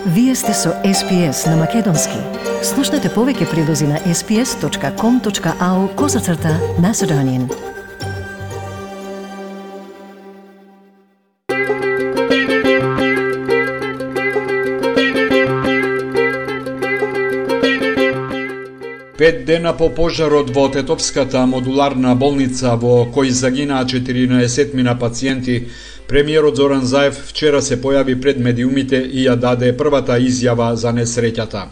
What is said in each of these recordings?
Вие сте со SPS на Македонски. Слушнете повеќе прилози на sps.com.au/Macedonian. Пет дена по пожарот во Тетовската модуларна болница во кој загинаа 14 пациенти, премиерот Зоран Заев вчера се појави пред медиумите и ја даде првата изјава за несреќата.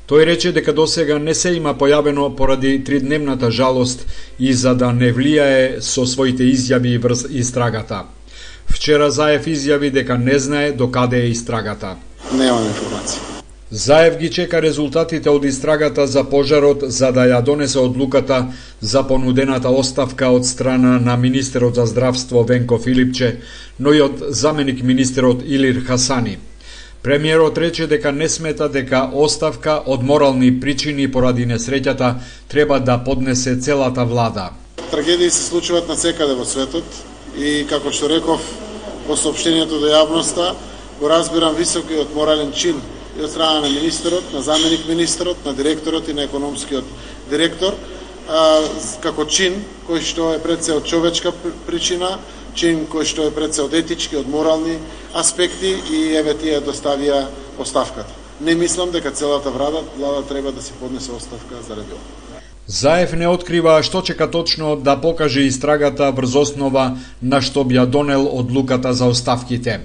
Тој рече дека досега не се има појавено поради тридневната жалост и за да не влијае со своите изјави врз истрагата. Вчера Заев изјави дека не знае докаде е истрагата. Немам информација. Заев ги чека резултатите од истрагата за пожарот за да ја донесе одлуката за понудената оставка од страна на министерот за здравство Венко Филипче, но и од заменик министерот Илир Хасани. Премиерот рече дека не смета дека оставка од морални причини поради несреќата треба да поднесе целата влада. Трагедии се случуваат насекаде во светот и, како што реков во соопштението до јавноста, го разбирам високиот морален чин и од страна на министерот, на заменик министерот, на директорот и на економскиот директор, како чин кој што е пред се од човечка причина, чин кој што е пред се од етички, од морални аспекти и еве тие доставија оставката. Не мислам дека целата влада треба да си поднесе оставка заради ова. Заев не открива што чека точно да покаже истрагата врз основа на што би ја донел одлуката за оставките.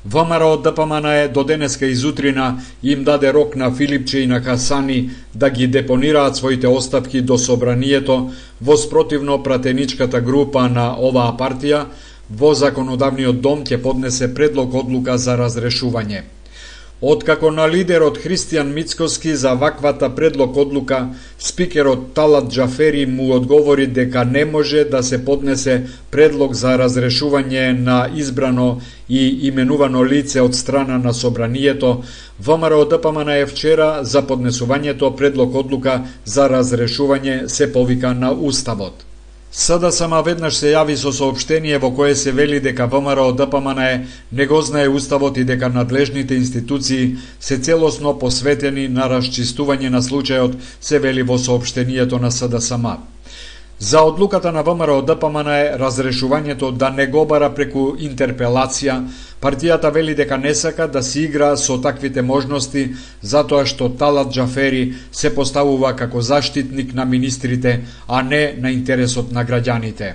ВМРО ДПМН до денеска изутрина им даде рок на Филипче и на Хасани да ги депонираат своите оставки до собранието во спротивно пратеничката група на оваа партија во законодавниот дом ќе поднесе предлог одлука за разрешување. Откако на лидерот Христијан Мицкоски за ваквата предлог одлука, спикерот Талат Џафери му одговори дека не може да се поднесе предлог за разрешување на избрано и именувано лице од страна на собранието, ВМРО ДПМН вчера за поднесувањето предлог одлука за разрешување се повика на Уставот. СДСМ веднаш се јави со соопштение во кое се вели дека ВМРО ДПМН не го знае Уставот и дека надлежните институции се целосно посветени на расчистување на случајот, се вели во соопштението на СДСМ. За одлуката на ВМРО ДПМН разрешувањето да не го бара преку интерпелација, партијата вели дека не сака да се игра со таквите можности, затоа што Талат Џафери се поставува како заштитник на министрите, а не на интересот на граѓаните.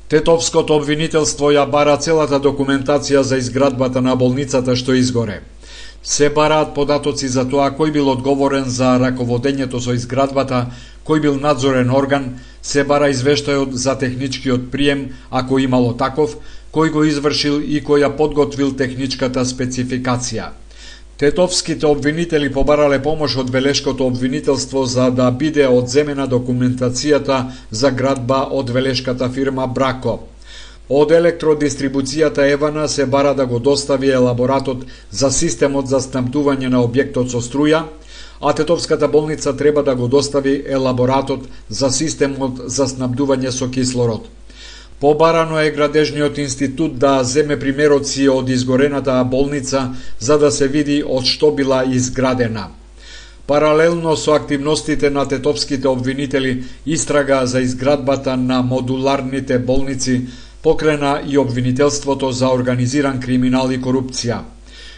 Тетовското обвинителство ја бара целата документација за изградбата на болницата што изгоре. Се бараат податоци за тоа кој бил одговорен за раководењето со изградбата, кој бил надзорен орган, се бара извештајот за техничкиот прием, ако имало таков, кој го извршил и кој ја подготвил техничката спецификација. Тетовските обвинители побарале помош од Велешкото обвинителство за да биде одземена документацијата за градба од велешката фирма Брако. Од електродистрибуцијата Евана се бара да го достави елаборатот за системот за снабдување на објектот со струја, а Тетовската болница треба да го достави елаборатот за системот за снабдување со кислород. Побарано е Градежниот институт да земе примероци од изгорената болница за да се види од што била изградена. Паралелно со активностите на тетовските обвинители, истрага за изградбата на модуларните болници покрена и обвинителството за организиран криминал и корупција.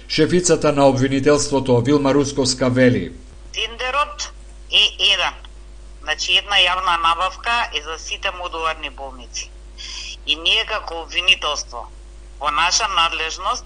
Шефицата на обвинителството Вилма Русковска вели: Тендерот е еден. Значи една јавна набавка е за сите модуларни болници. И ние како обвинителство во наша надлежност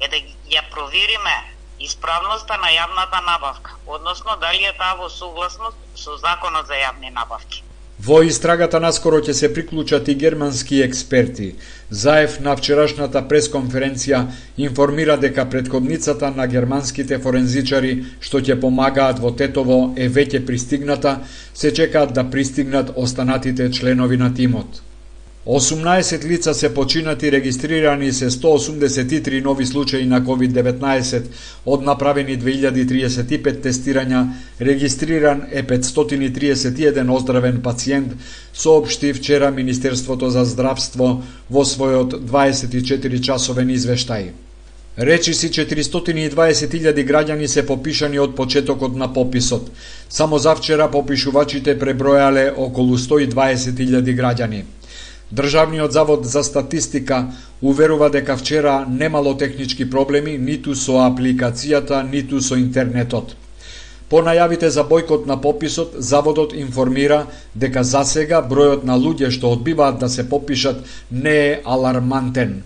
е да ја провериме исправноста на јавната набавка, односно дали е таа во согласност со Законот за јавни набавки. Во истрагата наскоро ќе се приклучат и германски експерти. Заев на вчерашната пресконференција информира дека претходницата на германските форензичари што ќе помагаат во Тетово е веќе пристигната, се чекаат да пристигнат останатите членови на тимот. 18 лица се починати, регистрирани се 183 нови случаи на COVID-19, од направени 2035 тестирања, регистриран е 531 оздравен пациент, соопшти вчера Министерството за здравство во својот 24-часовен извештај. Речиси 420.000 граѓани се попишани од почетокот на пописот. Само завчера попишувачите пребројале околу 120.000 граѓани. Државниот завод за статистика уверува дека вчера немало технички проблеми ниту со апликацијата, ниту со интернетот. По најавите за бојкот на пописот, заводот информира дека засега бројот на луѓе што одбиваат да се попишат не е алармантен.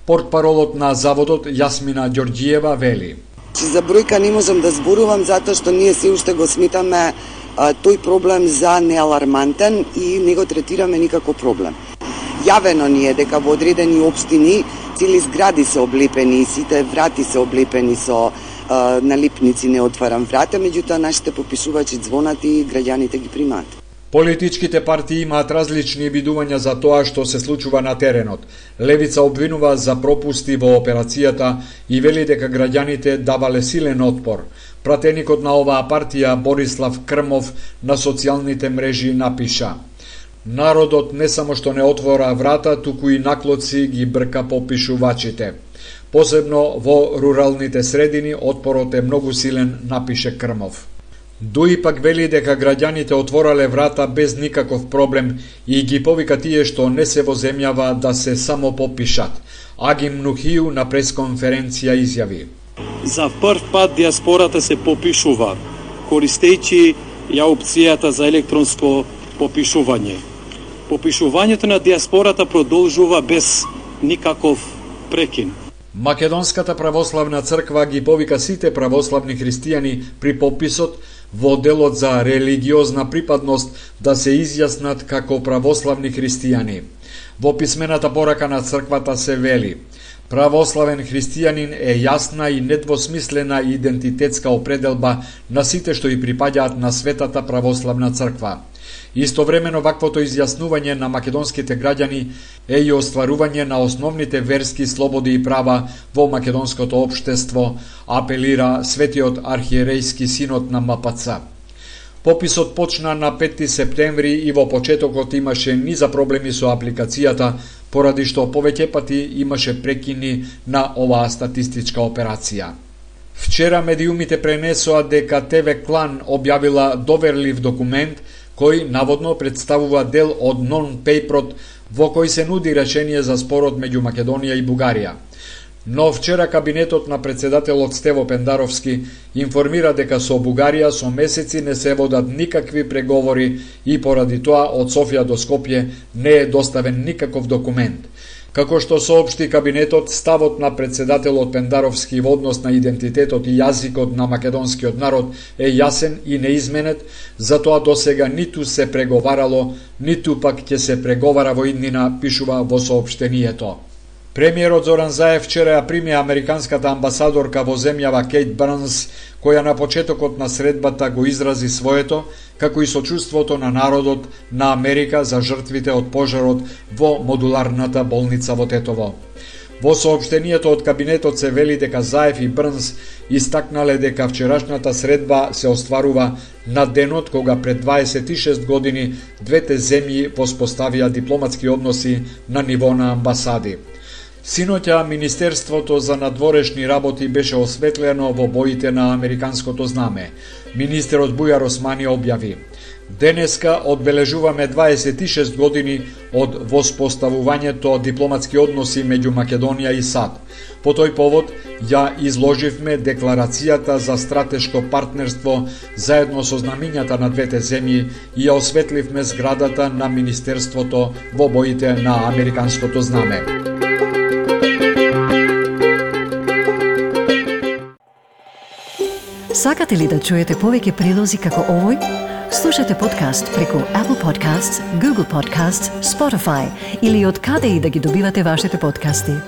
Портпаролот на заводот Јасмина Ѓорѓиева вели: За бројка не можам да зборувам затоа што ние се уште го сметаме тој проблем за неалармантен и не го третираме никако проблем. Јавено ни е дека во одредени општини цели згради се облепени, сите врати се облепени со налипници не отварам врата, меѓутоа нашите попишувачи звонат и граѓаните ги примаат. Политичките партии имаат различни видувања за тоа што се случува на теренот. Левица обвинува за пропусти во операцијата и вели дека граѓаните давале силен отпор. Пратеникот на оваа партија Борислав Крмов на социјалните мрежи напиша: Народот не само што не отвора врата, туку и наклоци ги брка попишувачите. Посебно во руралните средини отпорот е многу силен, напише Крмов. Дуи пак вели дека граѓаните отворале врата без никаков проблем и ги повика тие што не се во земјава да се само попишат. Агим Нухију на пресконференција изјави: За прв пат диаспората се попишува, користејќи ја опцијата за електронско попишување. Попишувањето на диаспората продолжува без никаков прекин. Македонската православна црква ги повика сите православни христијани при пописот во делот за религиозна припадност да се изјаснат како православни христијани. Во писмената порака на црквата се вели: Православен христијанин е јасна и недвосмислена идентитетска определба на сите што и припаѓаат на Светата православна црква. Истовремено ваквото изјаснување на македонските граѓани е и остварување на основните верски слободи и права во македонското општество, апелира Светиот архиерејски синод на МПЦ. Пописот почна на 5 септември и во почетокот имаше низа проблеми со апликацијата, поради што повеќе пати имаше прекини на оваа статистичка операција. Вчера медиумите пренесоа дека ТВ Клан објавила доверлив документ кој наводно представува дел од нон-пейперот во кој се нуди решение за спорот меѓу Македонија и Бугарија. Но вчера кабинетот на председателот Стево Пендаровски информира дека со Бугарија со месеци не се водат никакви преговори и поради тоа од Софија до Скопје не е доставен никаков документ. Како што соопшти кабинетот, ставот на председателот Пендаровски во однос на идентитетот и јазикот на македонскиот народ е јасен и неизменет, затоа досега ниту се преговарало, ниту пак ќе се преговара во иднина, пишува во соопштението. Премиерот Зоран Заев вчера ја прими американската амбасадорка во земјава Кейт Барнс, која на почетокот на средбата го изрази своето, како и сочувството на народот на Америка за жртвите од пожарот во модуларната болница во Тетово. Во соопштението од кабинетот се вели дека Заев и Брнс истакнале дека вчерашната средба се остварува на денот кога пред 26 години двете земји воспоставија дипломатски односи на ниво на амбасади. Синоќа Министерството за надворешни работи беше осветлено во боите на американското знаме. Министерот Бујар Османи објави: Денеска одбележуваме 26 години од воспоставувањето дипломатски односи меѓу Македонија и САД. По тој повод ја изложивме декларацијата за стратешко партнерство заедно со знамињата на двете земји и ја осветливме зградата на Министерството во боите на американското знаме. Сакате ли да чуете повеќе прилози како овој? Слушате подкаст преку Apple Podcasts, Google Podcasts, Spotify или од каде и да ги добивате вашите подкасти.